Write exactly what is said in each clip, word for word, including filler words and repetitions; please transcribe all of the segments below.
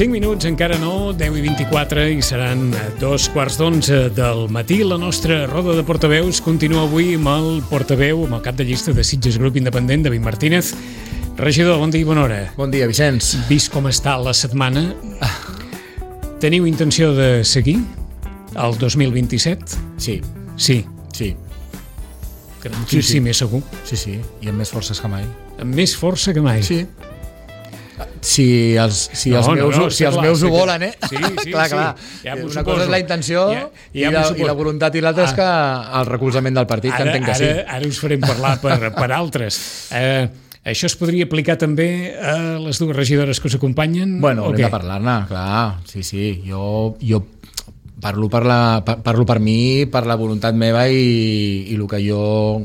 cinc minuts, encara no, deu i vint-i-quatre, i seran dos quarts d'onze del matí. La nostra roda de portaveus continua avui amb el portaveu, amb el cap de llista de Sitges Grup Independent, David Martínez. Regidor, bon dia i bona hora. Bon dia, Vicenç. Vist com està la setmana, teniu intenció de seguir el dos mil vint-i-set? Sí. Sí. Sí. Sí, sí, més segur. Sí, sí, i amb més forces que mai. Amb més força que mai. Sí. Si els, si No, els no, meus, no, si els clar, meus sí ho que- volen, eh? Sí, sí, clar, sí. clar. Ja m'ho Una suposo. cosa és la intenció Ja- ja i, m'ho la, suposo. i la voluntat, i l'altra és que el recolzament del partit, que Ara, entenc que ara, sí. ara us farem parlar per, per altres. Eh, això es podria aplicar també a les dues regidores que us acompanyen? Bueno, o haurem què? de parlar-ne, clar. Sí, sí. Jo, jo parlo, per la, par- parlo per mi, per la voluntat meva i, i el que jo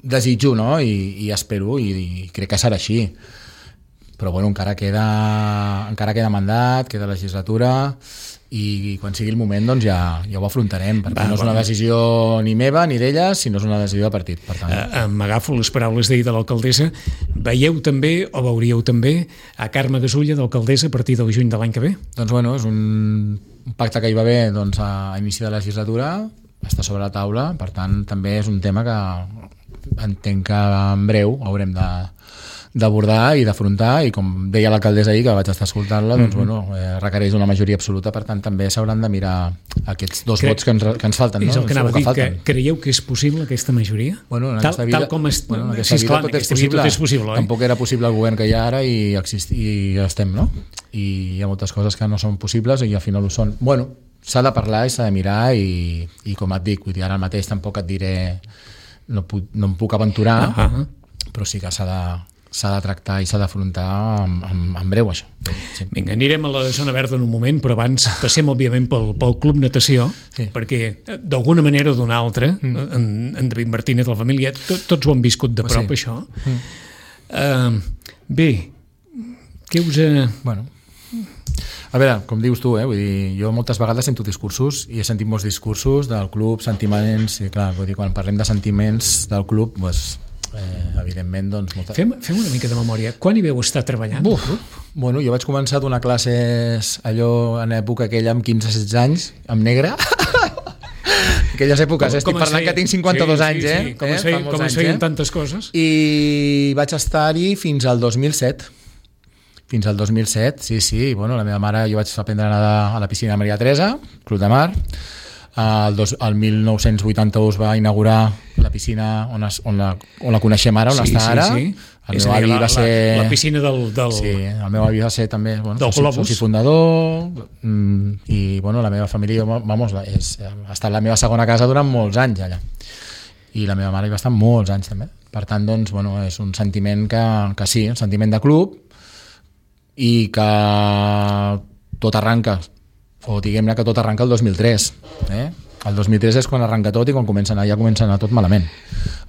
desitjo, no? I, i espero, i, i crec que serà així. Però bueno, encara queda, encara queda mandat, queda legislatura, i quan sigui el moment doncs ja, ja ho afrontarem, perquè Va, no és una bueno. decisió ni meva ni d'elles, sinó és una decisió de partit. Per tant, Eh, M'agafo les paraules d'ahir de l'alcaldessa. Veieu també, o veuríeu també, a Carme Gasulla d'alcaldessa a partir del juny de l'any que ve? doncs bueno, és un pacte que hi va haver doncs, a inici de legislatura, està sobre la taula, per tant també és un tema que entenc que en breu haurem de d'abordar i d'afrontar, i com deia l'alcaldessa ahir, que vaig estar escoltant-la, doncs, Mhm. bueno, eh, requereix una majoria absoluta, per tant també s'hauran de mirar aquests dos Crec- vots que ens, que ens falten. És no? el que anava a Segur dir, que falten. creieu que és possible aquesta majoria? Bueno, en tal, aquesta vida, tal com és, bueno, en aquesta sí, vida esclar, tot en és aquesta vida possible. tot és possible, oi? Tampoc era possible el govern que hi ha ara i, exist, i estem, no? I hi ha moltes coses que no són possibles i al final ho són. Bueno, s'ha de parlar i s'ha de mirar i, i com et dic, vull dir, ara mateix tampoc et diré, no, puc, no em puc aventurar, Uh -huh. però sí que s'ha de s'ha de tractar i s'ha d'afrontar en, en, en breu, això. Sí. Vinga, anirem a la zona verda en un moment, però abans passem, òbviament, pel, pel Club Natació, Sí. perquè eh, d'alguna manera o d'una altra, mm. en, en David Martínez de la família, to, tots ho han viscut de Pues prop, sí. això. Mm. Uh, bé, què us... Ha... Bueno, a veure, com dius tu, eh? Vull dir, jo moltes vegades sento discursos i he sentit molts discursos del club, sentiments, i clar, vull dir, quan parlem de sentiments del club, doncs, eh, evidentment, doncs... Molta... Fem, fem una mica de memòria. Quan hi veu estar treballant? Buf, bueno, jo vaig començar a donar classes allò en època aquella amb quinze setze anys, amb negre. Aquelles èpoques, eh? Estic parlant feia? que tinc cinquanta-dos sí, anys, sí, eh? Sí. Com eh? es feien, Fa molts com es anys, feien eh? tantes coses? I vaig estar-hi fins al dos mil set. Fins al dos mil set, sí, sí. Bueno, la meva mare, jo vaig aprendre a nedar a la piscina de Maria Teresa, Club de Mar. El, dos, el mil nou-cents vuitanta-u es va inaugurar la piscina on, es, on, la, on la coneixem ara, on Sí, està sí, ara. sí. El És meu a dir, avi la, va ser... La, la piscina del... del... Sí, el meu avi va ser també bueno, Del soci, Globus. soci fundador, mm, i bueno, la meva família, vamos, és, ha estat la meva segona casa durant molts anys allà. I la meva mare hi va estar molts anys també. Per tant, doncs, bueno, és un sentiment que, que sí, un sentiment de club, i que tot arranca, o diguem-ne que tot arranca el dos mil tres. Eh? El dos mil tres és quan arranca tot i quan comença a anar, ja comença a anar tot malament.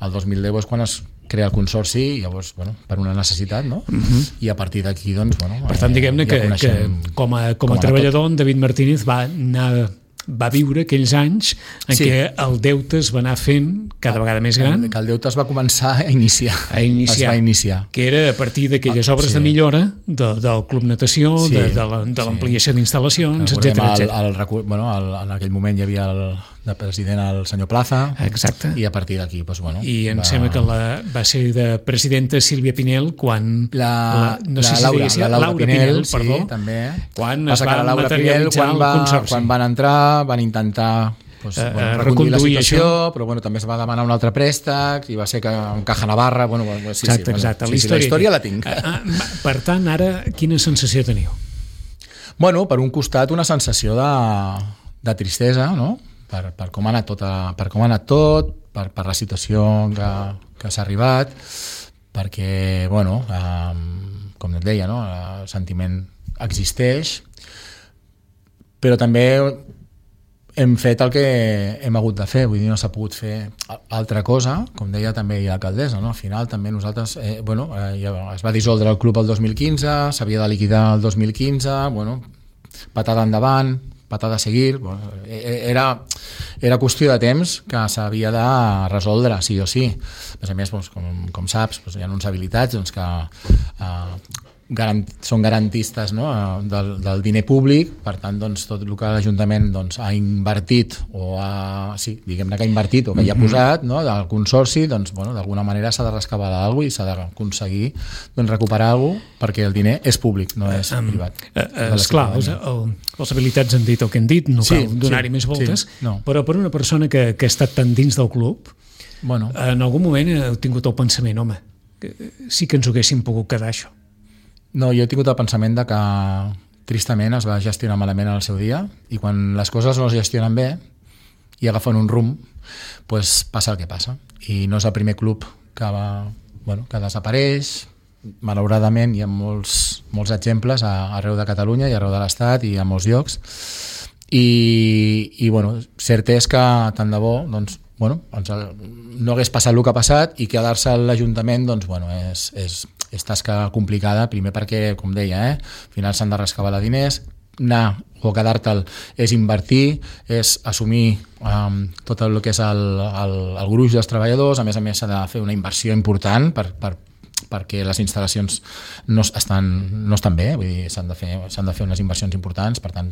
El dos mil deu és quan es crea el consorci, i llavors, bueno, per una necessitat, no? Uh-huh. I a partir d'aquí, doncs, bueno... Per tant, diguem-ne eh, que, ja que coneixem com a, com com a ha treballador, en David Martínez va anar va viure aquells anys en Sí. què el deute es va anar fent cada vegada més gran, que el deute es va començar a iniciar. a iniciar, Es va iniciar. que era a partir d'aquelles Ah, obres sí. de millora de, del Club Natació, Sí, de, de la- de sí. l'ampliació d'instal·lacions, Recordem etcètera, el, etcètera. el, recu- bueno, el, en aquell moment hi havia el, de president el senyor Plaza, Exacte. i a partir d'aquí, doncs, bueno... I em va- sembla que la, va ser de presidenta Sílvia Pinel quan... La, no la, sé si Laura, deia, sí, la Laura, Pinel, Pinel, sí, perdó, també. quan Passa es que va la Laura Pinel, materialitzar quan, el va, consorci. quan van entrar, van intentar doncs, Eh, bueno, eh, reconduir la reconduir situació, això. però bueno, també es va demanar un altre préstec, i va ser que en Caja Navarra... Bueno, bueno, sí, Exacte, sí, exacte. Bueno, sí, sí, la història la tinc. Ah, ah, per tant, ara, quina sensació teniu? Bueno, per un costat, una sensació de, de tristesa, no? Per, per com ha anat tot, a, per com ha anat tot, per, per la situació que, que s'ha arribat, perquè, bueno, eh, com et deia, no? El sentiment existeix, però també hem fet el que hem hagut de fer, vull dir, no s'ha pogut fer altra cosa, com deia també l'alcaldessa, no? Al final també nosaltres, eh, bueno, eh, ja es va dissoldre el club el dos mil quinze, s'havia de liquidar el dos mil quinze, bueno, patada endavant, patada a seguir, bueno, era, era qüestió de temps que s'havia de resoldre, sí o sí. A més a més, doncs, com, com saps, doncs, hi ha uns habilitats doncs, que, eh, garant, són garantistes, no? del, del diner públic, per tant doncs, tot el que l'Ajuntament doncs, ha invertit o ha, sí, diguem-ne que ha invertit o que hi ha posat, no? Del consorci, doncs, bueno, d'alguna manera s'ha de rescabar alguna cosa i s'ha d'aconseguir doncs, recuperar alguna cosa, perquè el diner és públic, no és um, privat. Uh, uh, esclar, els, el, els habilitats han dit el que han dit, no cal sí, donar-hi sí, més voltes, sí, no. Però per una persona que, que ha estat tan dins del club, bueno. En algun moment heu tingut el pensament, home, que sí que ens ho haguéssim pogut quedar, això. No, jo he tingut el pensament de que tristament es va gestionar malament en el seu dia i quan les coses no es gestionen bé i agafen un rumb, doncs passa el que passa. I no és el primer club que, va, bueno, que desapareix. Malauradament hi ha molts, molts exemples a, arreu de Catalunya i arreu de l'Estat i a molts llocs. I, i bueno, cert és que tant de bo doncs, bueno, no hagués passat el que ha passat i quedar-se a l'Ajuntament doncs, bueno, és, és, és tasca complicada, primer perquè, com deia, eh, al final s'han de rescabar diners, anar o quedar-te'l és invertir, és assumir um, tot el que és el, el, el gruix dels treballadors, a més a més s'ha de fer una inversió important per, per, perquè les instal·lacions no estan, no estan bé, vull dir, s'han de fer, s'han de fer unes inversions importants, per tant,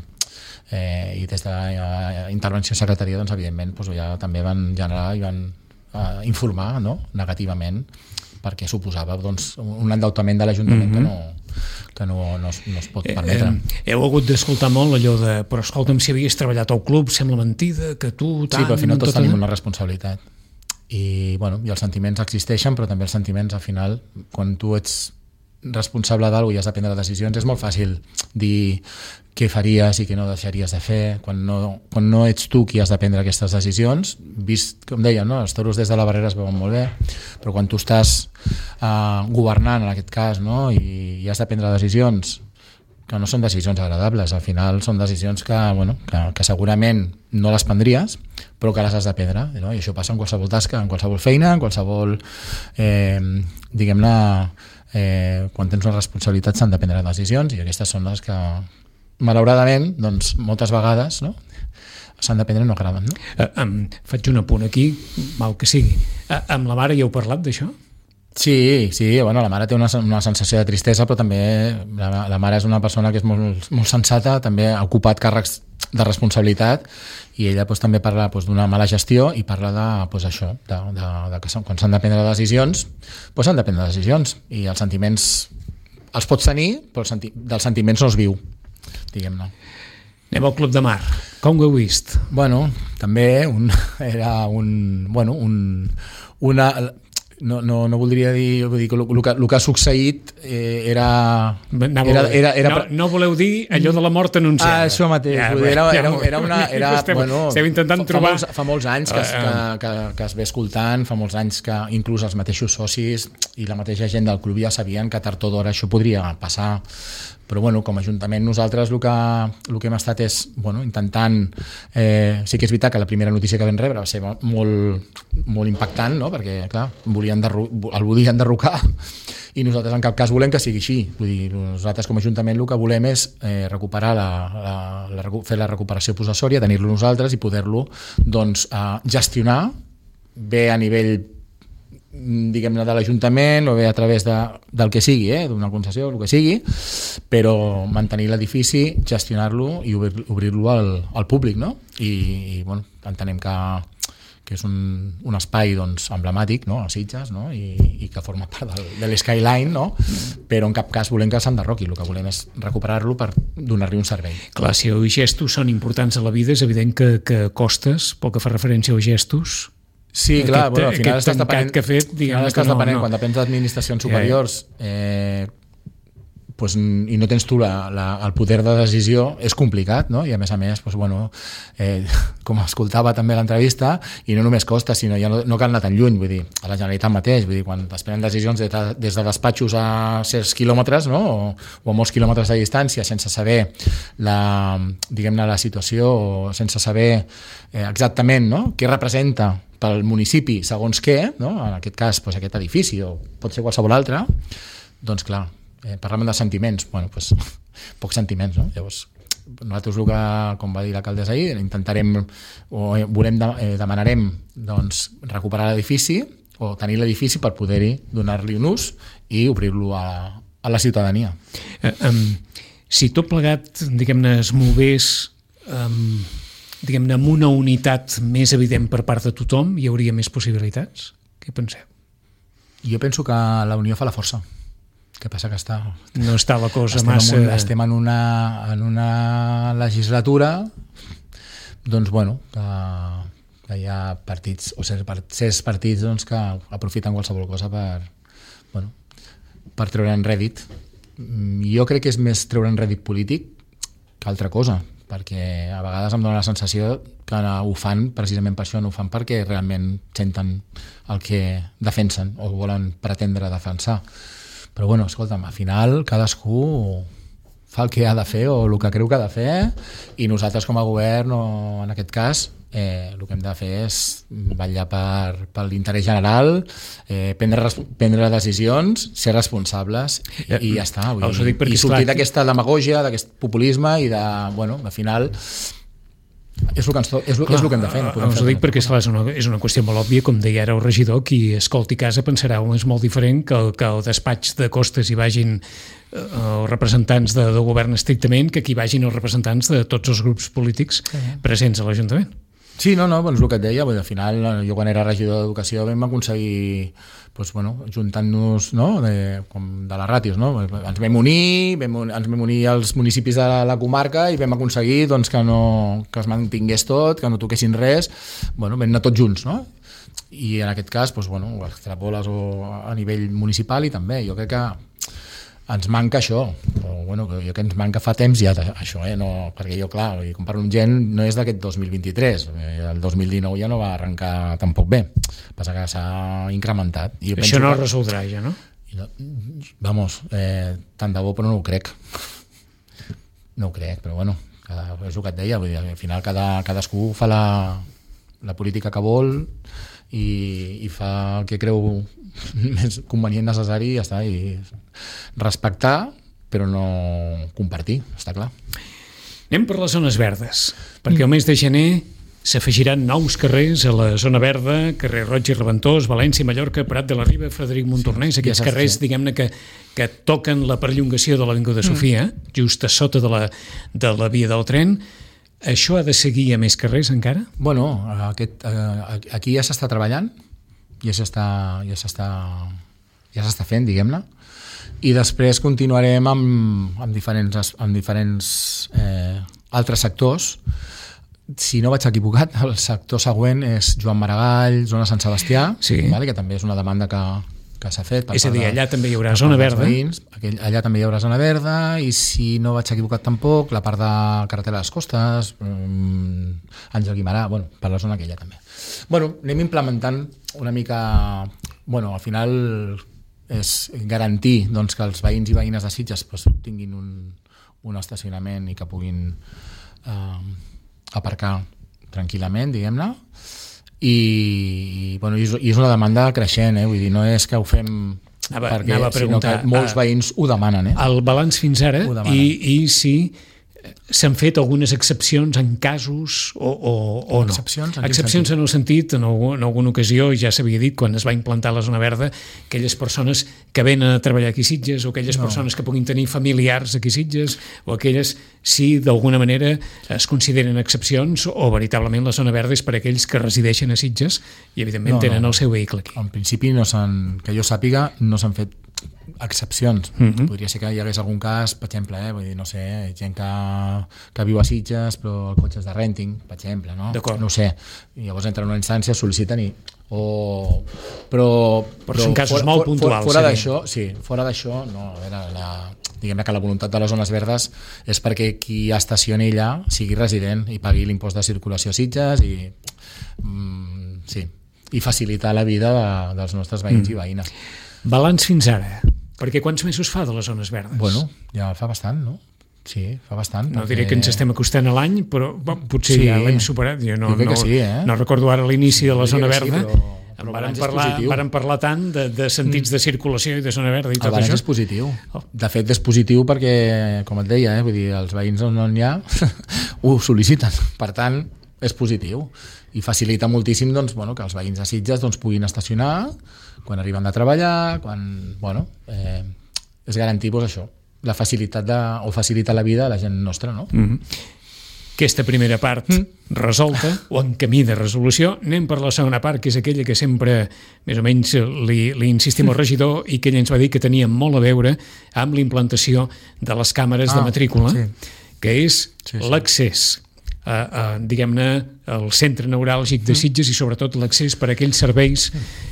eh, i des de la intervenció secretaria, doncs, evidentment, doncs, ja també van generar i van eh, informar, no?, negativament, perquè suposava doncs, un endeutament de l'Ajuntament mm-hmm. que, no, que no, no, es, no es pot permetre. Eh, eh, heu hagut d'escoltar molt allò de però escolta'm, si havies treballat al club, sembla mentida, que tu... Tant, sí, però al final tots tot tenim una responsabilitat. I, bueno, i els sentiments existeixen, però també els sentiments, al final, quan tu ets responsable d'alguna cosa i has de prendre decisions, és molt fàcil dir què faries i què no deixaries de fer, quan no, quan no ets tu qui has de prendre aquestes decisions, vist, com deia, no? Els toros des de la barrera es veuen molt bé, però quan tu estàs uh, governant, en aquest cas, no? I, i has de prendre decisions que no són decisions agradables, al final són decisions que, bueno, que, que segurament no les prendries, però que les has de prendre, no? I això passa en qualsevol tasca, en qualsevol feina, en qualsevol, eh, diguem-ne, eh, quan tens una responsabilitat s'han de prendre decisions i aquestes són les que, malauradament, doncs, moltes vegades, no?, s'han de prendre i no agraden, no? Uh, um, faig un apunt aquí, mal que sigui. Uh, amb la mare ja heu parlat d'això? Sí, sí, bueno, la mare té una, una sensació de tristesa, però també la, la mare és una persona que és molt, molt sensata, també ha ocupat càrrecs de responsabilitat i ella doncs, també parla doncs, d'una mala gestió i parla de, doncs, això, de, de, de que quan s'han de prendre decisions doncs s'han de prendre decisions i els sentiments els pots tenir, però els senti dels sentiments no es viu, diguem-ne. Anem al Club de Mar. Com ho heu vist? Bueno, també un, era un... Bueno, un, una... No, no, no voldria dir, vull dir que el, el, que, el que ha succeït eh, era, era, era, era... No, no voleu dir allò de la mort anunciada. Ah, això mateix. Ja, dir, era, era, era una... Era, esteu, bueno, esteu intentant fa, trobar... Fa molts, fa molts anys que, que, que, que es ve escoltant, fa molts anys que inclús els mateixos socis i la mateixa gent del club ja sabien que tard o d'hora això podria passar. Però bueno, com a Ajuntament nosaltres el que, el que hem estat és bueno, intentant, eh, sí que és veritat que la primera notícia que vam rebre va ser molt, molt impactant, no? Perquè clar, volien derru el volien derrocar i nosaltres en cap cas volem que sigui així. Vull dir, nosaltres com a Ajuntament el que volem és eh, recuperar la, la, la, fer la recuperació possessòria, tenir-lo nosaltres i poder-lo doncs, eh, gestionar bé a nivell diguem-ne de l'Ajuntament o bé a través de, del que sigui, eh, d'una concessió, el que sigui, però mantenir l'edifici, gestionar-lo i obrir-lo obrir al, al públic, no? I, i bueno, entenem que, que és un, un espai doncs, emblemàtic, no? A Sitges, no? I, i que forma part del, de l'Skyline, no? Però en cap cas volem que s'enderroqui, el que volem és recuperar-lo per donar-li un servei. Clar, si els gestos són importants a la vida, és evident que, que costes, pel que fa referència als gestos. Sí, clar, aquest, bueno, al final estàs depenent, que ha fet, diguem estàs no, depenent no. Quan depens d'administracions superiors eh, pues, i no tens tu la, la, el poder de decisió, és complicat, no? I a més a més, pues, bueno, eh, com escoltava també l'entrevista, i no només costa, sinó ja no, no cal anar tan lluny, vull dir, a la Generalitat mateix, vull dir, quan es prenen decisions de, des de despatxos a certs quilòmetres, no? o, o a molts quilòmetres de distància, sense saber la, diguem-ne, la situació, o sense saber eh, exactament, no? Què representa pel municipi, segons què, no? En aquest cas, doncs, aquest edifici, o pot ser qualsevol altre, doncs clar, eh, parlem de sentiments, bueno, doncs, pocs sentiments, no? Llavors, nosaltres el que, com va dir l'alcaldessa ahir, intentarem, o volem, eh, demanarem, doncs, recuperar l'edifici, o tenir l'edifici per poder-hi donar-li un ús i obrir-lo a, a la ciutadania. Eh, um, si tot plegat, diguem-ne, es movés um, diguem-ne, amb una unitat més evident per part de tothom, hi hauria més possibilitats? Què penseu? Jo penso que la unió fa la força. Què passa que està... No està la cosa estem massa... En un, estem en una, en una legislatura doncs, bueno, que, que hi ha partits, o certs partits doncs, que aprofiten qualsevol cosa per, bueno, per treure'n rèdit. Jo crec que és més treure'n rèdit polític que altra cosa, perquè a vegades em dóna la sensació que ho fan precisament per això, no ho fan perquè realment senten el que defensen o volen pretendre defensar. Però bueno, escolta'm, al final cadascú fa el que ha de fer o el que creu que ha de fer, i nosaltres com a govern, o en aquest cas, eh, el que hem de fer és vetllar per, per l'interès general, eh, prendre, prendre decisions, ser responsables i, i ja està. Vull dir, i sortir d'aquesta demagògia, d'aquest populisme i de, bueno, al final... És el, que ens, és, clar, és el que hem de fer. No us ho dic perquè esclar, és, una, és una qüestió molt òbvia, com deia ara el regidor, qui escolti casa pensarà que és molt diferent que el, que el despatx de Costes hi vagin eh, els representants de, del govern estrictament que aquí vagin els representants de tots els grups polítics presents a l'Ajuntament. Sí, no, no, doncs el que et deia, al final jo quan era regidor d'Educació vam aconseguir doncs, bueno, juntant-nos, no, de, com de les ràtios, no? Ens vam unir, vam, ens vam unir als municipis de la, la comarca i vam aconseguir doncs, que, no, que es mantingués tot, que no toquessin res, bueno, vam anar tots junts, no? I en aquest cas, doncs, bueno, ho extrapoles a nivell municipal i també, jo crec que ens manca això, o, bueno, jo que ens manca fa temps ja això, eh? No, perquè jo, clar, comparo amb gent, no és d'aquest dos mil vint-i-tres, el dos mil dinou ja no va arrencar tampoc bé, passa que s'ha incrementat. I això no que... es resoldrà ja, no? Vamos, eh, tant de bo, però no ho crec. No ho crec, però bueno, cada, és el que et deia, vull dir, al final cada, cadascú fa la, la política que vol i, i fa el que creu més convenient, necessari, i ja està, i respectar però no compartir, està clar. Anem per les zones verdes, perquè el mes de gener s'afegiran nous carrers a la zona verda, carrer Roig i Reventós, València, Mallorca, Prat de la Riba, Frederic Montornès, sí, aquests ja carrers, sí, diguem-ne, que, que toquen la perllongació de l'Avinguda Sofia, mm. just a sota de la, de la via del tren. Això ha de seguir a més carrers encara? Bueno, aquest, aquí ja s'està treballant, ja s'està ja s'està ja s'està fent, diguem-ne, i després continuarem amb, amb diferents, amb diferents eh, altres sectors. Si no vaig equivocat, el sector següent és Joan Maragall, zona Sant Sebastià, sí, vale, que també és una demanda que, que s'ha fet. És a dir, allà també hi haurà zona verda. Veïns, allà també hi haurà zona verda, i si no vaig equivocat tampoc, la part de carretera de les Costes, um, Àngel Guimarà, bueno, per la zona aquella també. Bueno, anem implementant una mica... Bueno, al final és garantir, doncs, que els veïns i veïnes de Sitges pues, tinguin un, un estacionament i que puguin eh, aparcar tranquil·lament, diguem-ne, i, bueno, i és una demanda creixent, eh? Vull dir, no és que ho fem anava, perquè, anava sinó que molts veïns ho demanen. Eh? El balanç fins ara, i, i si s'han fet algunes excepcions en casos o, o, o no. Excepcions, en, excepcions en el sentit, en, algun, en alguna ocasió, ja s'havia dit, quan es va implantar la zona verda, aquelles persones que venen a treballar aquí a Sitges, o aquelles no. persones que puguin tenir familiars aquí a Sitges, o aquelles, si d'alguna manera es consideren excepcions, o veritablement la zona verda és per a aquells que resideixen a Sitges i evidentment no, tenen no. el seu vehicle aquí. En principi, no que jo sàpiga, no s'han fet excepcions. Uh-huh. Podria ser que hi hagués algun cas, per exemple, eh, vull dir, no sé, gent que, que viu a Sitges però el cotxe és de renting, per exemple, no? No ho sé. I llavors entren en una instància, sol·liciten i... O... Però, però, però són casos for, molt puntuals. For, fora d'això, sí, fora d'això, no, a veure, la, diguem que la voluntat de les zones verdes és perquè qui estacioni allà sigui resident i pagui l'impost de circulació a Sitges i... Mm, sí, i facilitar la vida de, dels nostres veïns mm. i veïnes. Balanç fins ara, perquè quants mesos fa de les zones verdes? Bueno, ja fa bastant, no? Sí, fa bastant. No perquè... diré que ens estem acostant a l'any, però bon, potser sí, ja l'hem superat. Jo no, jo no, sí, eh? no recordo ara l'inici de la zona verda. Sí, però, però varen, parlar, varen parlar tant de, de sentits de circulació i de zona verda i tot el balanç això. És positiu. De fet, és positiu perquè, com et deia, eh, vull dir, els veïns on n'hi ha ho sol·liciten. Per tant, és positiu. I facilita moltíssim doncs, bueno, que els veïns de Sitges doncs, puguin estacionar quan arriben de treballar, quan, bueno, eh, és garantir doncs, això, la facilitat de, o facilitar la vida a la gent nostra, no? Mm-hmm. Aquesta primera part mm. resolta o en camí de resolució. Anem per la segona part, que és aquella que sempre més o menys li, li insistim al regidor i que ell ens va dir que tenia molt a veure amb la implantació de les càmeres ah, de matrícula, sí. que és sí, sí. l'accés a, a, diguem-ne, al centre neuràlgic de Sitges i sobretot l'accés per a aquells serveis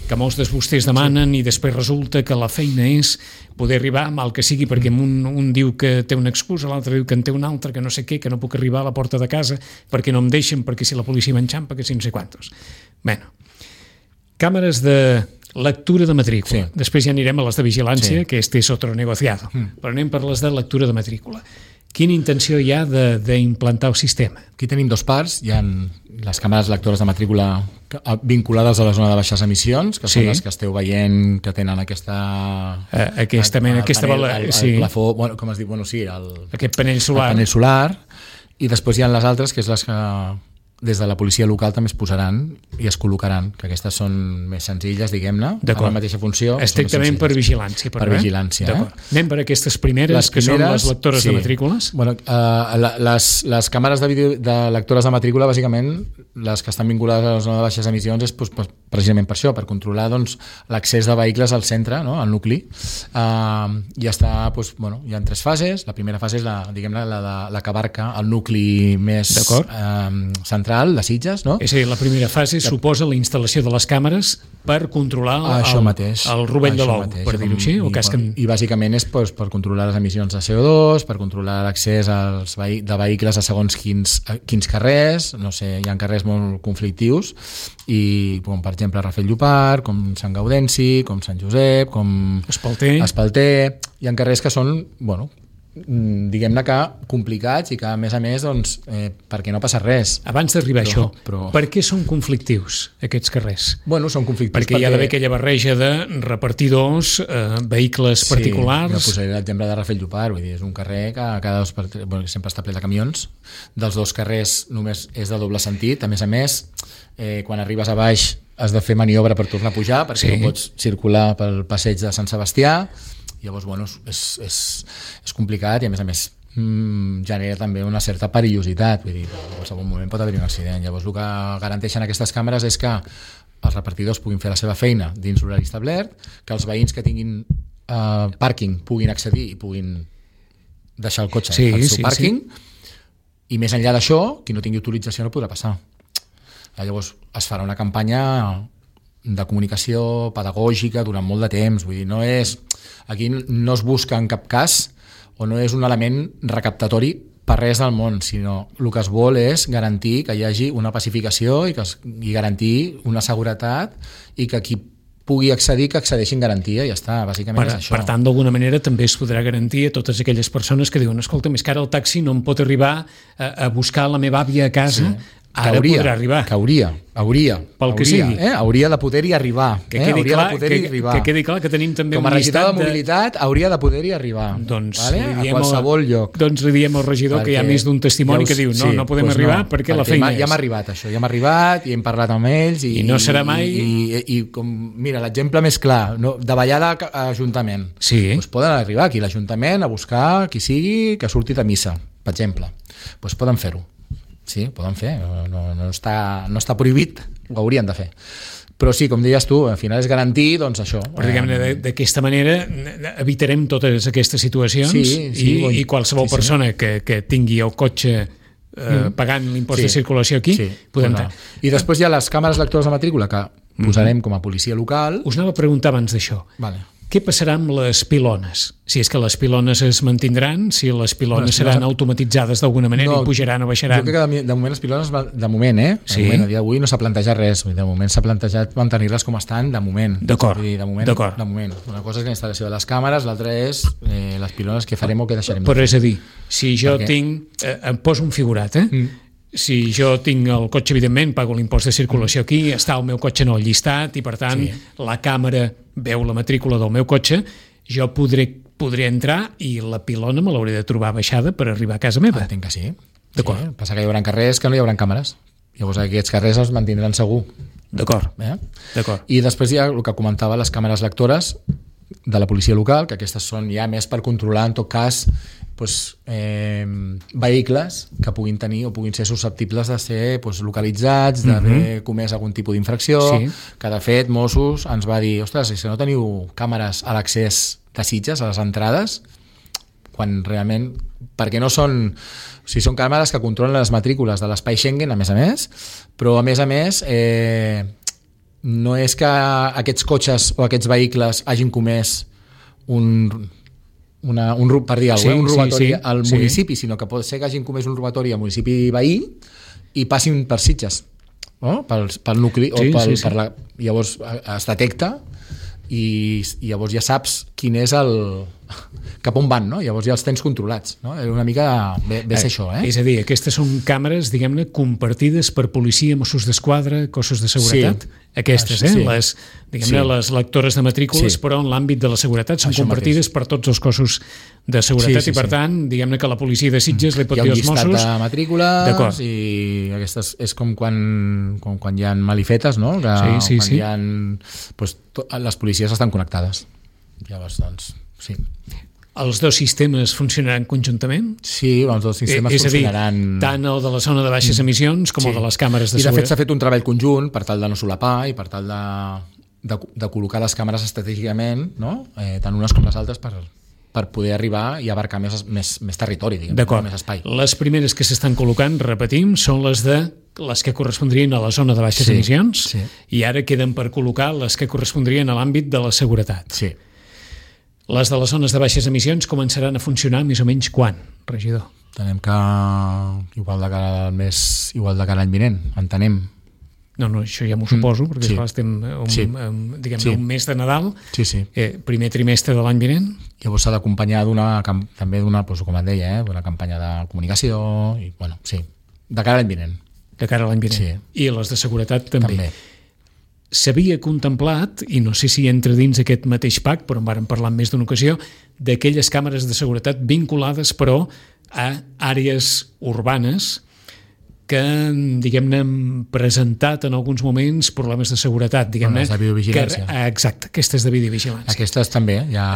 que molts de vostès demanen sí. i després resulta que la feina és poder arribar mal que sigui, perquè un, un diu que té una excusa, l'altre diu que en té una altra, que no sé què, que no puc arribar a la porta de casa perquè no em deixen, perquè si la policia m'enxampa, que si no sé quantos. Bueno, càmeres de lectura de matrícula. Sí. Després ja anirem a les de vigilància, sí. que este és otro negociado. Mm. Però anem per les de lectura de matrícula. Quina intenció hi ha d'implantar el sistema? Aquí tenim dos parts. Hi ha les càmeres lectores de matrícula vinculades a la zona de baixes emissions, que sí. són les que esteu veient que tenen aquesta... Uh, aquesta el, mena, el aquesta panel, bala, el, sí. el plafó, bueno, com es diu? Bueno, sí, el, aquest panell solar. El panell solar. I després hi ha les altres, que és les que des de la policia local també es posaran i es col·locaran, que aquestes són més senzilles, diguem-ne, amb la mateixa funció. Estrictament per vigilància. Per, per vigilància, eh? Anem per aquestes primeres, les primeres, que són les lectores sí. de matrícules. Bueno, uh, les, les càmeres de, video, de lectores de matrícula, bàsicament, les que estan vinculades a la zona de baixes emissions, és pues, pues, precisament per això, per controlar doncs, l'accés de vehicles al centre, no? Al nucli. Uh, ja està, pues, bueno, hi ha tres fases. La primera fase és la, diguem-ne, la, de, la que abarca el nucli més uh, central, de Sitges, no? És a dir, la primera fase suposa la instal·lació de les càmeres per controlar això el, mateix, el rovell de l'ou, per dir-ho així. I, o casquen... I bàsicament és pues, per controlar les emissions de C O dos, per controlar l'accés als vehi de vehicles a segons quins, quins carrers, no sé, hi ha carrers molt conflictius, i com per exemple Rafel Llopart, com Sant Gaudenci, com Sant Josep, com Espalter, Espalter. Hi ha carrers que són, bueno, diguem-ne que complicats i que a més a més doncs, eh, perquè no passa res. Abans d'arribar a això, però... per què són conflictius aquests carrers? Bueno, són conflictius perquè, perquè... hi ha d'haver aquella barreja de repartidors, eh, vehicles sí, particulars... Sí, posaré l'exemple de Rafel Llopart, vull dir, és un carrer que cada dos per... bueno, sempre està ple de camions, dels dos carrers només és de doble sentit, a més a més, eh, quan arribes a baix has de fer maniobra per tornar a pujar, perquè sí. no pots circular pel passeig de Sant Sebastià. Llavors, bueno, és, és, és complicat i a més a més mmm, genera també una certa perillositat, vull dir, en qualsevol moment pot haver-hi un accident. Llavors el que garanteixen aquestes càmeres és que els repartidors puguin fer la seva feina dins l'horari establert, que els veïns que tinguin eh, pàrquing puguin accedir i puguin deixar el cotxe sí, al seu sí, pàrquing, sí. i més enllà d'això, qui no tingui autorització no podrà passar. Llavors es farà una campanya de comunicació pedagògica durant molt de temps, vull dir, no és... Aquí no es busca en cap cas o no és un element recaptatori per res del món, sinó el que es vol és garantir que hi hagi una pacificació i, que es, i garantir una seguretat i que qui pugui accedir, que accedeixi en garantia, i ja està, bàsicament per, és això. Per tant, d'alguna manera també es podrà garantir a totes aquelles persones que diuen, escolta, més que ara el taxi no em pot arribar a, a buscar la meva àvia a casa, sí. Ara hauria, podrà arribar. Que hauria, hauria. Pel que hauria, sigui. Eh? Hauria de poder-hi arribar. Que eh? quedi, hauria clar, de poder-hi que, arribar. que quedi clar que tenim també com a un llistat regidor de mobilitat de... hauria de poder-hi arribar. Doncs vale? li diem a qualsevol el, lloc. Doncs li diem al regidor perquè, que hi ha més d'un testimoni ja us, que diu no, sí, no podem pues arribar no, perquè, perquè la feina és. Ja hem arribat això, ja hem arribat i hem parlat amb ells. I, I no serà mai... I, i, i com, mira, l'exemple més clar, no, de ballada a Ajuntament. Sí. Pues poden arribar aquí a l'Ajuntament a buscar qui sigui que surti de missa, per exemple. Pues poden fer-ho. Sí, poden fer, no, no, està, no està prohibit, ho haurien de fer. Però sí, com deies tu, al final és garantir, doncs això. Però diguem-ne, d'aquesta manera evitarem totes aquestes situacions sí, sí, i, bon, i qualsevol sí, sí. persona que, que tingui el cotxe eh, mm. pagant l'impost sí, de circulació aquí, sí, podem no. I després hi ha les càmeres lectores de matrícula que posarem mm. com a policia local. Us anava a preguntar abans d'això. Vale. Què passarà amb les pilones? Si és que les pilones es mantindran, si les pilones bueno, seran automatitzades d'alguna manera no, i pujaran o baixaran? Jo crec que de, de moment les pilones, de moment, eh? De sí. moment, a dia d'avui no s'ha plantejat res. De moment s'ha plantejat mantenir-les com estan de moment. D'acord. De moment, de moment. Una cosa és la instal·lació de les càmeres, l'altra és eh, les pilones que farem o que deixarem. Però és a dir, si jo Perquè... tinc... Eh, em poso un figurat, eh? Mm. Si jo tinc el cotxe, evidentment, pago l'impost de circulació aquí, està el meu cotxe en el llistat i, per tant, sí. la càmera veu la matrícula del meu cotxe, jo podré, podré entrar i la pilona me l'hauré de trobar baixada per arribar a casa meva. Entenc que sí. D'acord. Sí. Passa que hi haurà carrers que no hi haurà càmeres. Llavors aquests carrers els mantindran segur. D'acord. Eh? D'acord. I després hi ha el que comentava, les càmeres lectores de la policia local, que aquestes són ja més per controlar, en tot cas, doncs, eh, vehicles que puguin tenir o puguin ser susceptibles de ser doncs, localitzats, d'haver uh-huh. comès algun tipus d'infracció, sí. que de fet Mossos ens va dir, ostres, si no teniu càmeres a l'accés de Sitges, a les entrades, quan realment, perquè no són, o sigui, són càmeres que controlen les matrícules de l'espai Schengen, a més a més, però a més a més eh, no és que aquests cotxes o aquests vehicles hagin comès un, una, un per dir alguna cosa, sí, un robatori sí, sí. al municipi, sí. sinó que pot ser que hagin comès un robatori al municipi veí i passin per Sitges, no? pel, pel nucli, sí, o pel, sí, sí. per la, llavors es detecta i, i llavors ja saps quin és el cap on van, no? Llavors ja els tens controlats, no? Una mica ve, ve ser eh, això, eh? És a dir, aquestes són càmeres, diguem-ne, compartides per policia, Mossos d'Esquadra, cossos de seguretat, sí. aquestes, eh? Sí. Les, diguem-ne, sí. les lectores de matrícules, sí. però en l'àmbit de la seguretat són això compartides mateix. Per tots els cossos de seguretat sí, sí, i, per sí. tant, diguem-ne que la policia de Sitges li pot dir als Mossos... Hi ha un llistat de matrícules i aquestes és com quan, com quan hi ha malifetes, no? Que sí, sí, quan sí. hi ha... Doncs, to, les policies estan connectades. Llavors, doncs, sí. Els dos sistemes funcionaran conjuntament? Sí, els dos sistemes és funcionaran... És a dir, tant el de la zona de baixes emissions com sí. el de les càmeres de seguretat. I de fet seguretat. s'ha fet un treball conjunt per tal de no solapar i per tal de, de, de col·locar les càmeres estratègicament, no? eh, tant unes com les altres, per, per poder arribar i abarcar més, més, més territori, diguem, d'acord. Més espai. Les primeres que s'estan col·locant, repetim, són les de les que correspondrien a la zona de baixes sí, emissions sí. i ara queden per col·locar les que correspondrien a l'àmbit de la seguretat. Sí. Les de les zones de baixes emissions començaran a funcionar més o menys quan, regidor? Entenem que igual de cara al mes, igual de cara l'any vinent, entenem. No, no, això ja m'ho suposo, mm, perquè sí. estem un, sí. um, diguem-ne sí. un mes de Nadal, sí, sí. Eh, primer trimestre de l'any vinent. Llavors s'ha d'acompanyar d'una, també d'una, doncs, com et deia, eh, d'una campanya de comunicació, i bueno, sí, de cara a l'any vinent. De cara a l'any vinent. Sí. I les de seguretat també. També. S'havia contemplat, i no sé si entra dins aquest mateix pacte, però en vàrem parlar en més d'una ocasió, d'aquelles càmeres de seguretat vinculades, però, a àrees urbanes que, diguem-ne, han presentat en alguns moments problemes de seguretat, diguem-ne. Les de videovigilància. Que, exacte, aquestes de videovigilància. Aquestes també. Ja,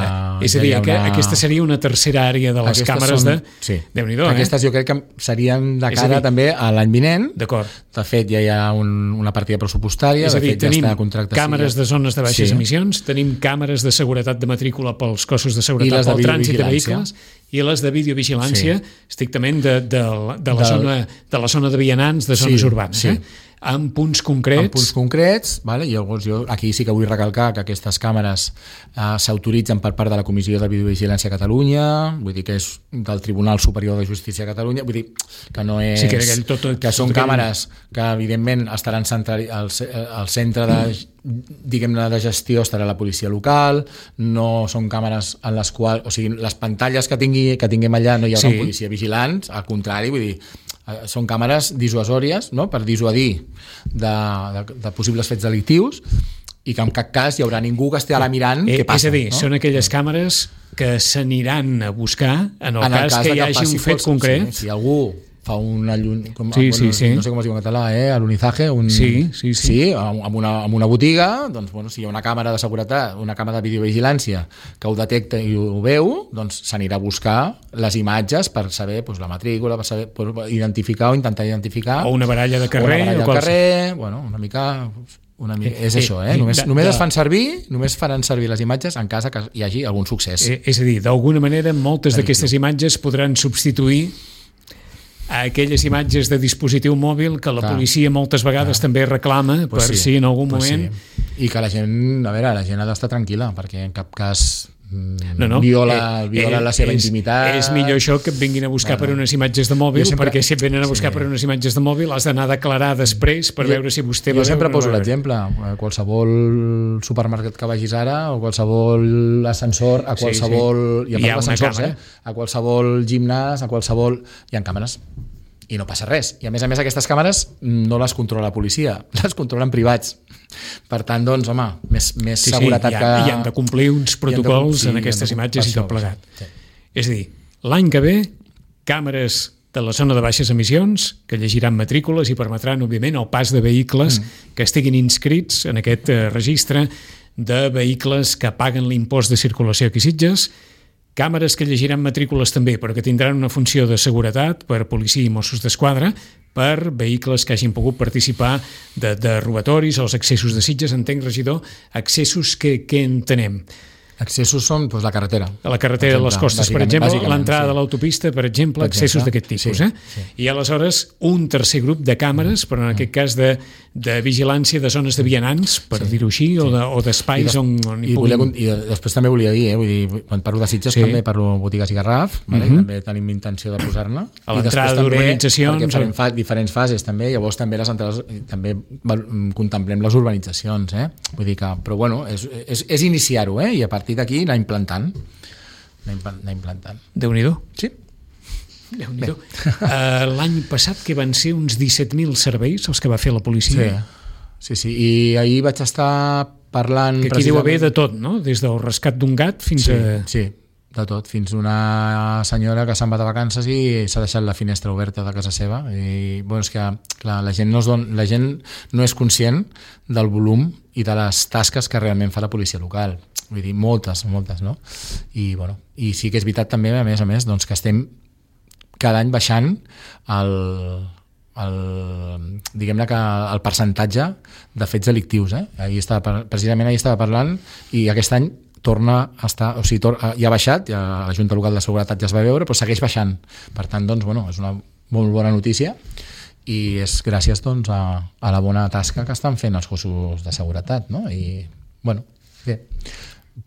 eh, és a dir, ja una... aquesta seria una tercera àrea de les aquestes càmeres són... de... Sí. Déu-n'hi-do, aquestes eh? jo crec que serien de cara dir... també a l'any vinent. D'acord. De fet, ja hi ha un, una partida pressupostària. És a dir, de fet, tenim ja està càmeres de zones de baixes sí. emissions, tenim càmeres de seguretat de matrícula pels cossos de seguretat pel trànsit de vehicles i les de videovigilància sí. estrictament de, de, de, la de... Zona, de la zona de vianants, de zones sí, urbanes. Sí. Eh? En punts concrets. En punts concrets, vale? I llavors jo aquí sí que vull recalcar que aquestes càmeres eh, s'autoritzen per part de la Comissió de Videovigilància a Catalunya, vull dir que és del Tribunal Superior de Justícia a Catalunya, vull dir que no és... Sí, que, aquell, tot, tot, que són tot càmeres que evidentment estaran centrali, al, al centre de, diguem-ne, de gestió estarà la policia local, no són càmeres en les quals, o sigui, les pantalles que, tingui, que tinguem allà no hi haurà sí. policia vigilants, al contrari, vull dir, són càmeres dissuasòries, no? Per dissuadir de, de, de possibles fets delictius i que en cap cas hi haurà ningú que estigui mirant eh, què passa. És a dir, no? són aquelles càmeres que s'aniran a buscar en el, en el cas, cas que hi hagi un fet fos, concret. Sí, si algú fa un allun... com, sí, bueno, sí, sí. no sé com es diu en català, eh? alunizaje, un... sí, sí, sí. sí amb, una, amb una botiga, doncs, bueno, si hi ha una càmera de seguretat, una càmera de videovigilància que ho detecta i ho veu, doncs s'anirà a buscar les imatges per saber doncs, la matrícula, per saber per identificar o intentar identificar... O una baralla de carrer. O una baralla de carrer, bueno, una mica... Una mica, és eh, això, eh? Només, de, només de, es fan servir, només faran servir les imatges en cas que hi hagi algun succés. Eh, és a dir, d'alguna manera, moltes d'aquestes imatges podran substituir a aquelles imatges de dispositiu mòbil que la clar, policia moltes vegades clar. també reclama pues per sí, si en algun pues moment... Sí. I que la gent, a veure, la gent ha d'estar tranquil·la, perquè en cap cas no, no. viola, eh, viola eh, la seva és, intimitat. És millor això que et vinguin a buscar no, no. per unes imatges de mòbil, sempre, perquè si et venen a buscar sí. per unes imatges de mòbil has d'anar a declarar després per jo, veure si vostè... Jo sempre poso l'exemple, qualsevol supermercat que vagis ara, o qualsevol ascensor, a qualsevol... Sí, sí. I a part d'ascensors, eh? A qualsevol gimnàs, a qualsevol... Hi ha càmeres i no passa res. I a més a més aquestes càmeres no les controla la policia, les controlen privats. Per tant, doncs, home, més, més sí, seguretat sí, que... I han de complir uns protocols de, sí, en aquestes de, imatges i tot plegat. Sí. És a dir, l'any que ve, càmeres de la zona de baixes emissions que llegiran matrícules i permetran, òbviament, el pas de vehicles mm. que estiguin inscrits en aquest eh, registre de vehicles que paguen l'impost de circulació aquí a Sitges, càmeres que llegiran matrícules també, però que tindran una funció de seguretat per policia i Mossos d'Esquadra, per vehicles que hagin pogut participar de, de robatoris o els accessos de Sitges. Entenc, regidor, accessos que, que entenem. Accessos són doncs, la carretera. A la carretera de les Costes, per exemple, l'entrada sí. de l'autopista, per exemple, accessos d'aquest tipus. Sí, eh? sí. I aleshores un tercer grup de càmeres, però en aquest cas de, de vigilància de zones de vianants, per sí. dir-ho així, sí. o, de, o d'espais on, on hi I, puguin... volia, I després també volia dir, eh? Vull dir, quan parlo de Sitges sí. també parlo botigues i Garraf, vale? uh-huh. també tenim intenció de posar-ne. A l'entrada d'urbanitzacions... Perquè farem fa, diferents fases també, llavors també les entrades, també contemplem les urbanitzacions, eh? Vull dir que, però bueno, és, és, és iniciar-ho, eh? I a partir d'aquí anar implantant anar implantant. Déu-n'hi-do. Sí. Déu-n'hi-do. Uh, l'any passat que van ser uns disset mil serveis els que va fer la policia. Sí, sí, sí. I ahir vaig estar parlant... Que aquí deu haver de tot, no? Des del rescat d'un gat fins sí, a... Sí, de tot. Fins una senyora que se'n va de vacances i s'ha deixat la finestra oberta de casa seva. I bueno, és que clar, la gent no es don... la gent no és conscient del volum i de les tasques que realment fa la policia local. Vull dir, moltes, moltes, no? I, bueno, i sí que és veritat també, a més a més, doncs, que estem cada any baixant el, el, diguem-ne que el percentatge de fets delictius. Eh? Ahir estava, precisament ahir estava parlant i aquest any torna a estar, o sigui, tor, ja ha baixat, ja la Junta Local de Seguretat ja es va veure, però segueix baixant. Per tant, doncs, bueno, és una molt bona notícia i és gràcies doncs, a, a la bona tasca que estan fent els cossos de seguretat, no? I, bueno, bé,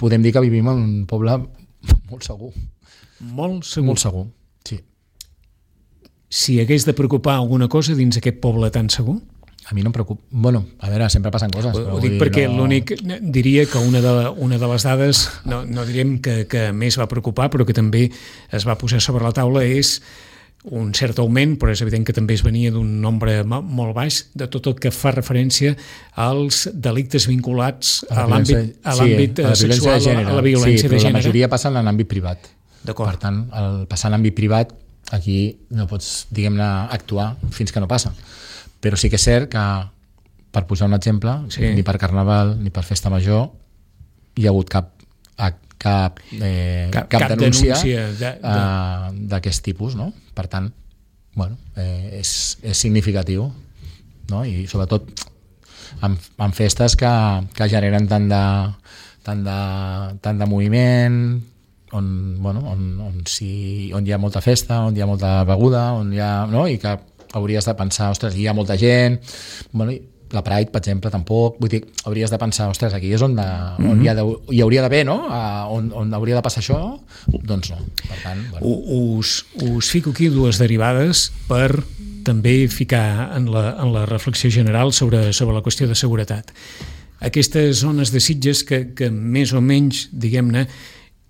podem dir que vivim en un poble molt segur. Molt segur. Molt segur, sí. Si hagués de preocupar alguna cosa dins aquest poble tan segur? A mi no em preocupa. Bueno, a veure, sempre passen coses. Ho, però ho dic perquè no... l'únic... Diria que una de, una de les dades, no, no direm que, que més va preocupar, però que també es va posar sobre la taula és un cert augment, però és evident que també es venia d'un nombre molt baix de tot el que fa referència als delictes vinculats a, a l'àmbit a l'àmbit sí, sexual, a la, a la violència sí, de gènere. La majoria passen en l'àmbit privat. D'acord. Per tant, el passar en l'àmbit privat, aquí no pots, diguem-ne, actuar fins que no passa. Però sí que és cert que, per posar un exemple, sí. ni per Carnaval ni per Festa Major hi ha hagut cap cap, eh, cap, cap, cap denúncia, denúncia de, de... Uh, d'aquest tipus, no? Per tant, bueno, eh, és, és significatiu, no? I sobretot en, en festes que, que generen tant de, tant de, tant de moviment, on, bueno, on, on, si, on hi ha molta festa, on hi ha molta beguda, on hi ha, no? I que hauries de pensar, ostres, hi ha molta gent, bueno, i la Pride, per exemple, tampoc. Vull dir, hauries de pensar, ostres, aquí és on, de, mm-hmm. on hi, ha de, hi hauria d'haver, no? Uh, on, on hauria de passar això? Doncs no. Per tant, bueno. Us, us fico aquí dues derivades per també ficar en la, en la reflexió general sobre, sobre la qüestió de seguretat. Aquestes zones de Sitges que, que més o menys, diguem-ne,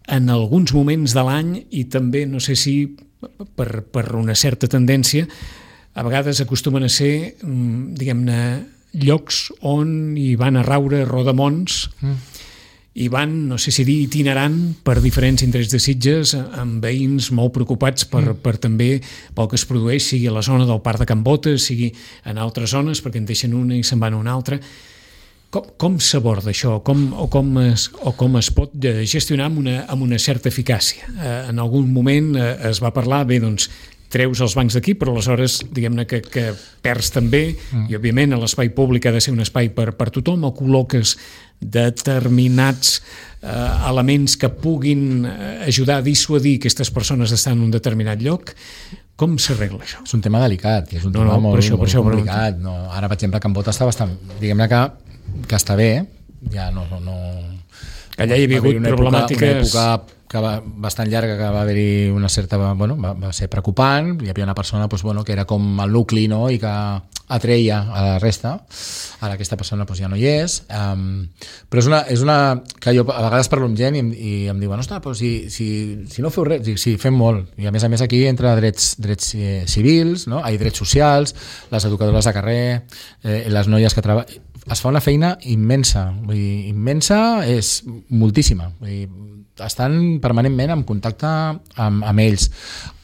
en alguns moments de l'any i també, no sé si per, per una certa tendència, a vegades acostumen a ser, diguem-ne, llocs on hi van a raure rodamons mm. i van, no sé si dir, itinerant per diferents indrets de Sitges amb veïns molt preocupats per, mm. per també pel que es produeix, sigui a la zona del Parc de Can Botes, sigui en altres zones, perquè en deixen una i se'n van a una altra. Com, com s'aborda això? Com, o, com es, o com es pot gestionar amb una, amb una certa eficàcia? Eh, en algun moment eh, es va parlar, bé, doncs, treus els bancs d'aquí, però aleshores diguem-ne que, que perds també mm. i òbviament l'espai públic ha de ser un espai per, per tothom, o col·loques determinats eh, elements que puguin ajudar a dissuadir aquestes persones d'estar en un determinat lloc. Com s'arregla això? És un tema delicat, és un no, tema no, molt, per això, molt per això complicat. No, ara, per exemple, Can Bota està bastant... Diguem-ne que, que està bé, ja no... no allà hi havia hagut una problemàtiques... Època, una època que va, bastant llarga, que va haver-hi una certa... Bueno, va, va ser preocupant, hi havia una persona doncs, bueno, que era com el nucli, no?, i que atreia a la resta. Ara aquesta persona doncs, ja no hi és. Um, però és una, és una... que jo a vegades parlo amb gent i em, i em diuen, ostres, però si, si, si no feu res... Dic, sí, fem molt. I a més a més aquí entre drets, drets eh, civils, no?, hi ha drets socials, les educadores de carrer, eh, les noies que treballen... Es fa una feina immensa. Vull dir, immensa és moltíssima. Vull dir, estan permanentment en contacte amb, amb ells.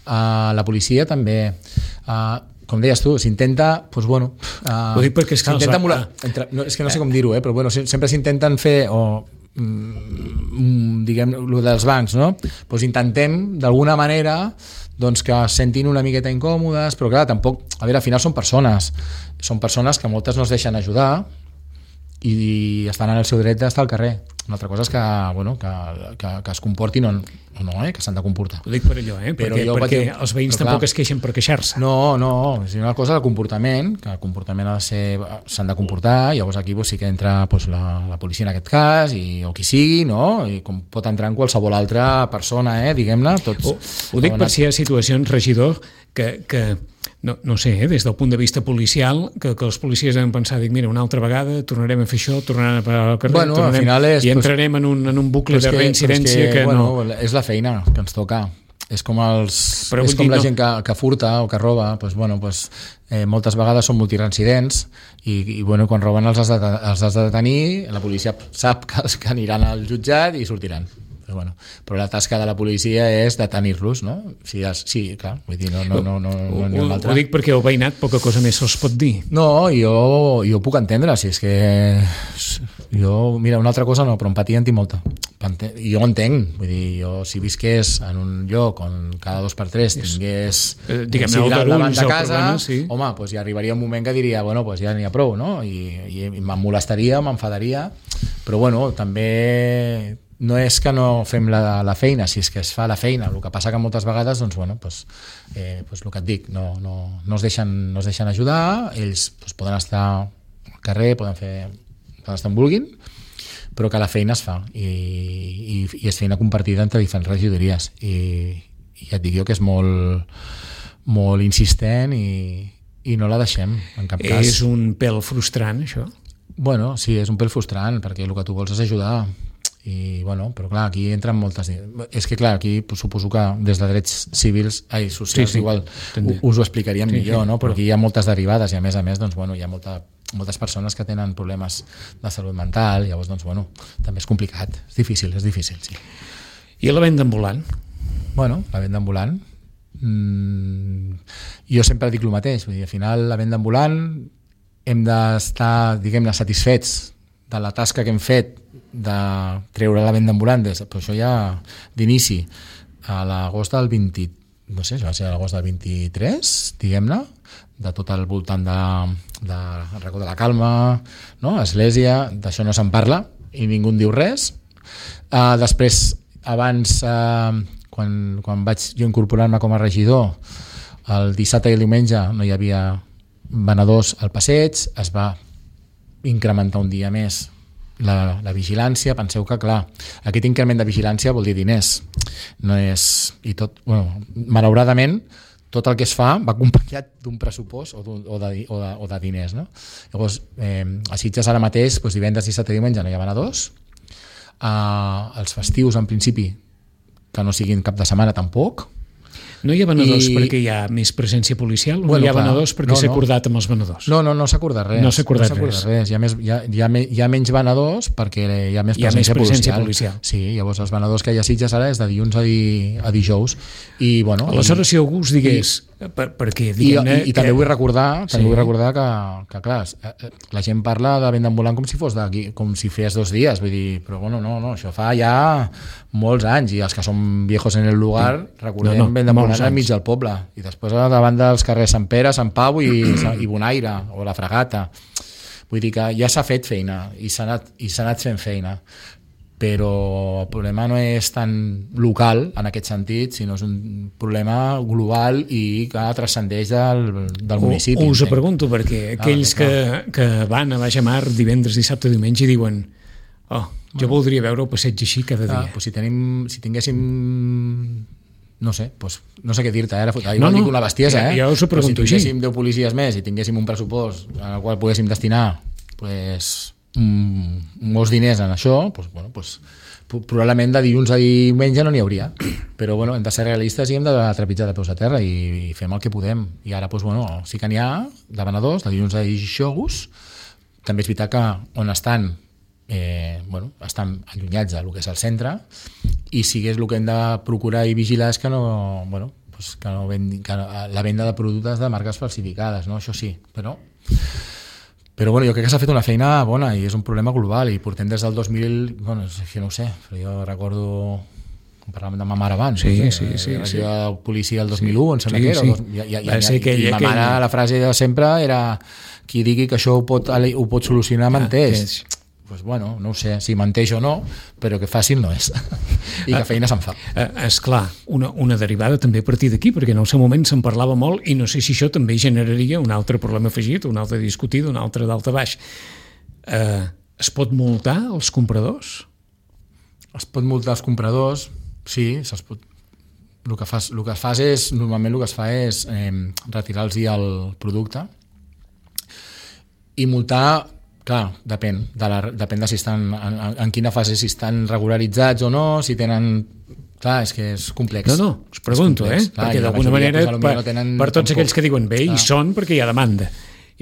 Uh, la policia també. Uh, com deies tu, s'intenta, doncs bueno, uh, ho dic perquè és que s'intenta els... emular, entre, no, és que no sé com dir-ho, eh, però bueno, sempre s'intenten fer, o mm, diguem, el dels bancs, no? Doncs intentem, d'alguna manera, doncs que es sentin una miqueta incòmodes, però clar, tampoc, a veure, al final són persones, són persones que moltes no es deixen ajudar i estan en el seu dret d'estar al carrer. Una altra cosa és que, bueno, que, que, que es comportin o no, eh? Que s'han de comportar. Ho dic per allò, eh? Però perquè, jo, perquè però, els veïns però, tampoc clar, es queixen per queixar-se. No, no, és una cosa del comportament, que el comportament ha de ser, s'han de comportar, i llavors aquí pues, sí que entra pues, la, la policia en aquest cas, i, o qui sigui, no? I com pot entrar en qualsevol altra persona, eh? Diguem-ne. Tots, ho, ho dic per si hi ha situacions, regidor, que... que No, no sé, eh, des del punt de vista policial, que, que els policies han pensat, dic, mira, una altra vegada tornarem a fer això, tornaran a parar al carrer, bueno, tornarem, al final és, i entrarem pues, en, un, en un bucle de reincidència que, que bueno, no... És la feina que ens toca. És com, els, Però és com dir, la no. gent que, que furta o que roba, pues, bueno, pues, eh, moltes vegades són multireincidents i, i bueno, quan roben els has, de, els has de detenir, la policia sap que, que aniran al jutjat i sortiran. Però, bueno, però la tasca de la policia és detenir-los, no? Sí, sí, clar, vull dir, no, no, no, no, no, no ho, ho dic perquè el veïnat poca cosa més se'ls pot dir. No, jo, jo puc entendre, si és que jo, mira, una altra cosa no, però empatia en tinc molta. Jo entenc, vull dir, jo si visqués en un lloc on cada dos per tres tingués eh, diguem-ne, si el davant de casa, problema, sí. home, doncs ja arribaria un moment que diria, bueno, doncs ja n'hi ha prou, no? I, i me'n molestaria, m'enfadaria, però bueno, també no és que no fem la, la feina, si és que es fa la feina, el que passa que moltes vegades doncs, bueno, doncs, eh, doncs el que et dic, no, no, no, es, deixen, no es deixen ajudar, ells doncs, poden estar al carrer, poden fer poden estar on vulguin, però que la feina es fa i, i, i és feina compartida entre diferents regidories i, i ja et dic jo que és molt, molt insistent i, i no la deixem en cap cas. És un pèl frustrant, això? Bueno, sí, és un pèl frustrant perquè el que tu vols és ajudar i bueno, però clar, aquí entren moltes és que clar, aquí suposo que des de drets civils, ai, socials sí, sí, igual us ho explicaríem sí, millor, sí, no? Però aquí hi ha moltes derivades i a més a més doncs, bueno, hi ha molta, moltes persones que tenen problemes de salut mental, llavors doncs, bueno, també és complicat, és difícil, és difícil, sí. I la venda ambulant? Bueno, la venda ambulant mmm, jo sempre dic el mateix, vull dir, al final la venda ambulant hem d'estar, diguem-ne, satisfets de la tasca que hem fet de treure la venda ambulant, però això ja d'inici a l'agost del vint, no sé, va ser a l'agost del vint-i-tres, diguem-ne, de tot el voltant de, de Racó de la Calma, no? Església, d'això no se'n parla i ningú en diu res. Uh, després, abans, uh, quan, quan vaig jo incorporar-me com a regidor, el dissabte i el diumenge no hi havia venedors al passeig, es va incrementar un dia més La, la vigilància. Penseu que, clar, aquest increment de vigilància vol dir diners. No és... I tot, bueno, malauradament, tot el que es fa va acompanyat d'un pressupost o, o, de, o, de, o de diners, no? Llavors, eh, a Sitges ara mateix, doncs divendres, dissabte i diumenge no hi ha venedors. Uh, els festius, en principi, que no siguin cap de setmana, tampoc. No hi ha venedors I... perquè hi ha més presència policial o bueno, no hi ha clar, venedors perquè no, s'ha no. acordat amb els venedors? No, no, no s'ha acordat res. No s'ha acordat, no res. res. Hi, ha més, hi, ha, hi, ha, hi ha menys venedors perquè hi ha més hi ha presència, més presència policial. policial. Sí, llavors els venedors que hi ha a Sitges ara és de dilluns a, di, a dijous. I, bueno, aleshores, si algú us digués... I, per, perquè, i, i, i també que... vull recordar, també sí. vull recordar que, que, clar, la gent parla de venda ambulant com si fos d'aquí, com si fes dos dies. Vull dir, però bueno, no, no, això fa ja molts anys i els que som viejos en el lugar recordem no, no, venda ambulant enmig del poble i després davant dels carrers Sant Pere, Sant Pau i, i Bonaire o la Fragata. Vull dir que ja s'ha fet feina i s'ha anat, i s'ha anat fent feina, però el problema no és tan local en aquest sentit, sinó és un problema global i que transcendeix del, del municipi. Us ho pregunto perquè aquells ah, que, que van a Baixamar divendres, dissabte, diumenge i diuen oh, jo voldria veure el passeig així cada dia. Ah, doncs si, tenim, si tinguéssim no sé, doncs, no sé què dir-te, ara eh? no, no, dic una bestiesa, eh? Ja, ja us ho pregunto si així. tinguéssim deu policies més i tinguéssim un pressupost al qual poguéssim destinar pues, mm, molts diners en això, pues, bueno, pues, probablement de dilluns a diumenge no n'hi hauria, però bueno, hem de ser realistes i hem de trepitjar de peus a terra i, i fem el que podem, i ara pues, bueno, sí que n'hi ha de venedors, de dilluns a dijous. També és veritat que on estan Eh, bueno, estan allunyats del que és el centre i si és el que hem de procurar i vigilar és que no, bueno, pues, que, no vendi, que la venda de productes de marques falsificades, no? Això sí, però... Però bueno, jo crec que s'ha fet una feina bona i és un problema global i portem des del dos mil... Bueno, és que no ho sé, però jo recordo... Com parlàvem de ma mare abans. Sí, no sé, sí, sí. La sí. policia del dos mil u, em sembla sí, que era. Sí. Dos, i, i, i, ser que i, i ma mare, la frase de sempre era qui digui que això ho pot, ho pot solucionar menteix. Ah, pues bueno, no ho sé si menteix o no, però que fàcil no és. I que feina se'n fa. Eh, esclar, una, una derivada també a partir d'aquí, perquè en el seu moment se'n parlava molt i no sé si això també generaria un altre problema afegit, un altre discutit, un altre d'alta baix. Eh, es pot multar els compradors? Es pot multar els compradors, sí, se'ls pot... El que, fas, el que fas és, normalment el que es fa és eh, retirar-los el producte i multar. Clar, depèn, de la, depèn de si estan en, en quina fase, si estan regularitzats o no, si tenen... Clar, és que és complex. No, no, us pregunto, eh? Clar, perquè d'alguna manera, pues, per, no tenen per tots tampoc. Aquells que diuen bé, clar. Hi són perquè hi ha demanda.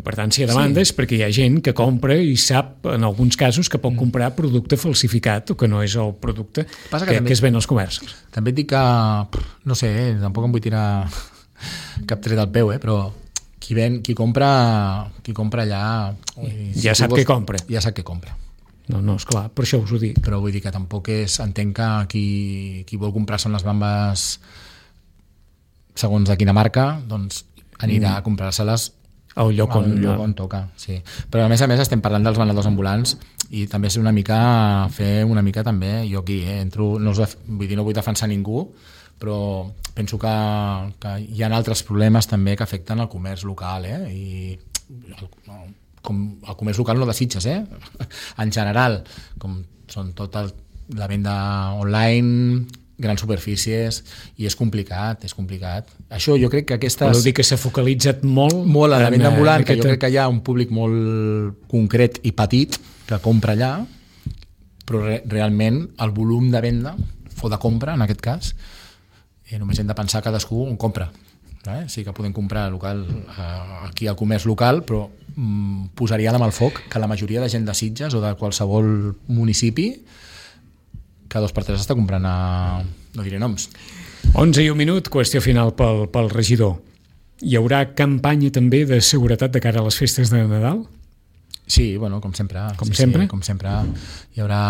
I per tant, si hi ha demanda sí. És perquè hi ha gent que compra i sap, en alguns casos, que pot comprar producte falsificat o que no és el producte que, que, que es ven als comerços. També et dic que, no sé, eh, tampoc em vull tirar cap tret al peu, eh, però... Qui, ven, qui, compra, qui compra allà... Si ja sap què compra. Ja sap què compra. No, no, esclar, per això us ho dic. Però vull dir que tampoc és... Entenc que qui, qui vol comprar-se unes bambes segons de quina marca, doncs anirà mm. a comprar-se-les al lloc on, al lloc on toca. Sí. Però a més a més estem parlant dels venedors ambulants i també és una mica fer una mica també, jo aquí eh, entro, no, us, vull dir, no vull defensar ningú, però penso que, que hi ha altres problemes també que afecten el comerç local, eh? I el, com el comerç local no de Sitges, eh? En general, com són tota la venda online, grans superfícies, i és complicat, és complicat. Això jo crec que aquestes... Voleu dir que s'ha focalitzat molt... Molt a la venda ambulant, que jo crec que hi ha un públic molt concret i petit que compra allà, però re, realment el volum de venda, o de compra en aquest cas, Eh, només hem de pensar cadascú on compra. Eh? Sí que podem comprar local, eh, aquí al comerç local, però mm, posaria amb el foc que la majoria de gent de Sitges o de qualsevol municipi que dos per tres està comprant a... no diré noms. onze i un minut, qüestió final pel, pel regidor. Hi haurà campanya també de seguretat de cara a les festes de Nadal? Sí, bueno, com sempre. Com sí, sempre? Sí, com sempre. Hi haurà,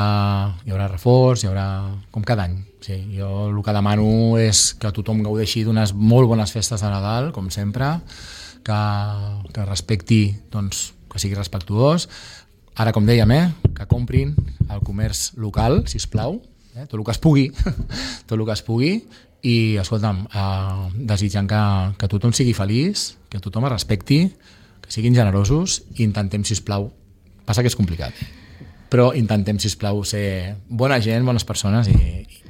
hi haurà reforç, hi haurà... com cada any. Sí, jo el que demano és que tothom gaudeixi d'unes molt bones festes de Nadal, com sempre, que, que respecti, doncs, que sigui respectuós. Ara, com dèiem, eh, que comprin el comerç local, sisplau, eh, tot el que es pugui, tot el que es pugui, i, escolta'm, eh, desitjant que, que tothom sigui feliç, que tothom es respecti, que siguin generosos i intentem, sisplau, passa que és complicat, però intentem, sisplau, ser bona gent, bones persones i, i,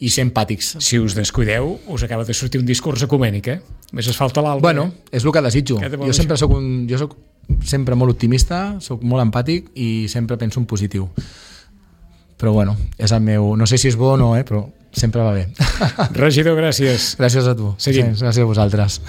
i ser empàtics. Si us descuideu, us acaba de sortir un discurs ecumènic, eh? Més es falta l'altre. Bueno, és el que desitjo. Jo sempre soc un... Jo soc sempre molt optimista, soc molt empàtic i sempre penso en positiu. Però bueno, és el meu... No sé si és bo o no, eh? Però sempre va bé. Regidor, gràcies. Gràcies a tu. Seguim. Gràcies a vosaltres.